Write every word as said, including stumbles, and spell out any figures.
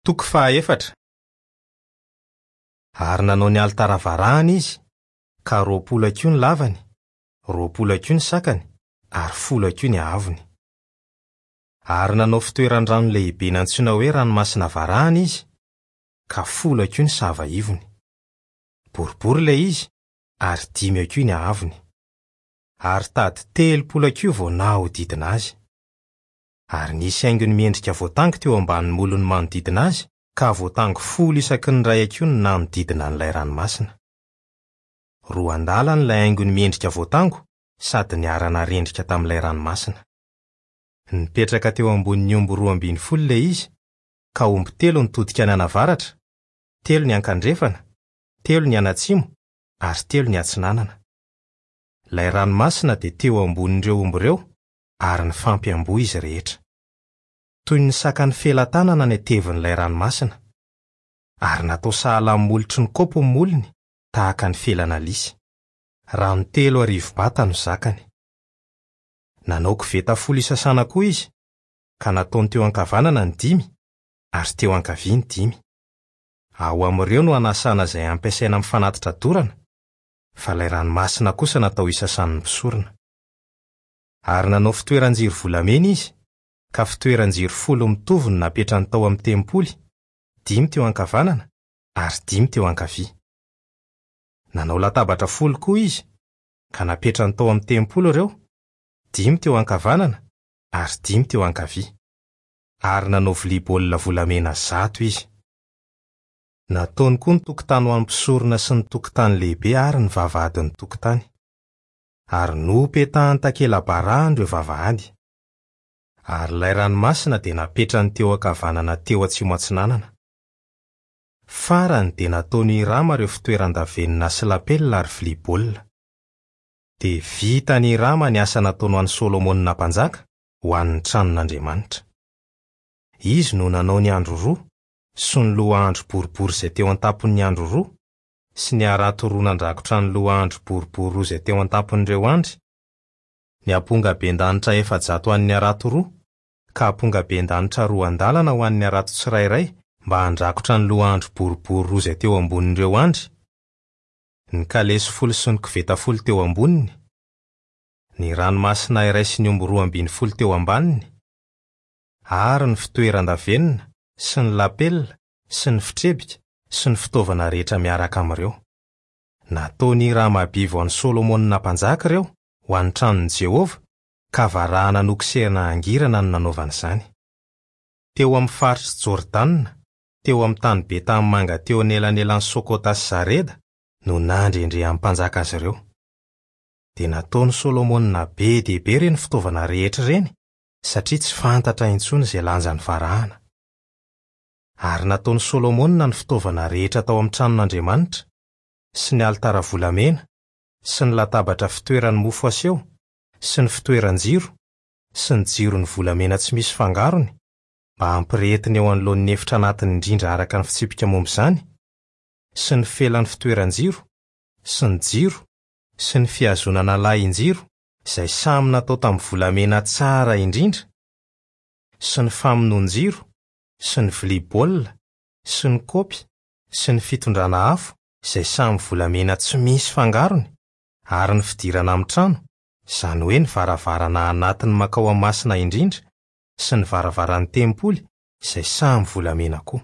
Toko fahaefatra. Ary nanao ny alitara varahana izy, ka roapolo hakiho ny lavany, roapolo hakiho ny sakany, ary folo hakiho ny haavony. Ary nanao fitoeran-drano lehibe nantsoina hoe ranomasina varahana izy, ka folo hakiho ny sava ivony. Boribory ilay izy, ary dimy hakiho ny haavony. Ary tady telopolo hakiho vao nahodidina azy. Ary nisy haingony miendrika voatango teo ambanin'ny molony manodidina azy, ka voatango folo isaky ny iray hakiho no nanodidina an'ilay ranomasina. Roa andalana ilay haingony miendrika voatango sady niara-narendrika tamin'ilay ranomasina. Nipetraka teo ambonin'ny omby roa ambin'ny folo ilay izy, ka omby telo nitodika nianavaratra, telo niankandrefana, telo nianatsimo ary telo niatsinanana. Ilay ranomasina dia teo ambonin'ireo omby ireo ary nifampiamboho izy rehetra. Toy ny sakan'ny felatanana ny hatevin'ilay ranomasina, ary natao sahala amin'ny molotry ny kaopy ny molony tahaka ny felana lisy. Rano telo arivo bata no zakany. Nanao koveta folo isasana koa izy, ka nataony teo ankavanana ny dimy ary teo ankavia ny dimy. Ao amin'ireo no anasana izay ampiasaina amin'ny fanatitra dorana, fa ilay ranomasina kosa natao isasan'ny mpisorona. Ary nanao fitoeran-jiro volamena izy, ka fitoeran-jiro folo mitovy no napetrany tao amin'ny tempoly, dimy teo ankavanana ary dimy teo ankavia. Nanao latabatra folo koa izy, ka napetrany tao amin'ny tempoly ireo, dimy teo ankavanana ary dimy teo ankavia. Ary nanao vilia baolina volamena zato izy. Nataony koa ny tokotany ho an'ny mpisorona sy ny tokotany lehibe ary ny vavahadin'ny tokotany. Ary nopetahany takela-barahana ireo vavahady. Ary ilay ranomasina dia napetrany teo ankavanana teo atsimo atsinanana. Farany dia nataony Hirama ireo fitoeran-davenona sy lapelina ary vilia baolina. Dia vitany Hirama ny asa nataony ho an'i Solomona mpanjaka ho an'ny tranon'Andriamanitra. Izy no nanao ny andro roa sy ny loha andro boribory izay teo an-tampon'ny andro roa sy ny harato roa nandrakotra ny loha andro boribory roa izay teo an-tampon'ireo andry, ny ampongaben-danitra efajato ho an'ny harato roa, ka ampongaben-danitra roa andalana ho an'ny harato tsirairay mba handrakotra ny loha andro boribory roa izay teo ambonin'ireo andry, ny kalesy folo sy ny koveta folo teo amboniny, ny ranomasina iray sy ny omby roa ambin'ny folo teo ambaniny, ary ny fitoeran-davenona sy ny lapelina sy ny fitrebika sy ny fitaovana rehetra miaraka amin'ireo. Nataony Hirama Abivo an'i Solomona mpanjaka ireo ho an'ny tranon'i Jehovah, ka varahana nokosehina hangirana no nanaovana izany. Teo amin'ny faritr'i Jordana, teo amin'ny tany be tanimanga teo anelanelan'i Sokota sy Zareda no nandrendrehan'ny mpanjaka azy ireo. Dia nataon'i Solomona be dia be ireny fitaovana rehetra ireny, satria tsy fantatra intsony izay lanjan'ny varahana. Ary nataon'i Solomona ny fitaovana rehetra tao amin'ny tranon'Andriamanitra, sy ny alitara volamena, sy ny latabatra fitoeran'ny mofo aseho, sy ny fitoeran-jiro, sy ny jiron'ny volamena tsy misy fangarony, mba hampirehetiny eo anoloan'ny efitra anatiny indrindra araka ny fitsipika momba izany, sy ny felan'ny fitoeran-jiro, sy ny jiro, sy ny fihazonana lahin-jiro, izay samy natao tamin'ny volamena tsara indrindra, sy ny famonoan-jiro, sy ny vilia baolina, sy ny kaopy, sy ny fitondrana afo, izay samy volamena tsy misy fangarony, ary ny fidirana amin'ny trano, izany hoe ny varavarana anatiny mankao amin'ny masina indrindra, sy ny varavaran'ny tempoly, izay samy volamena koa.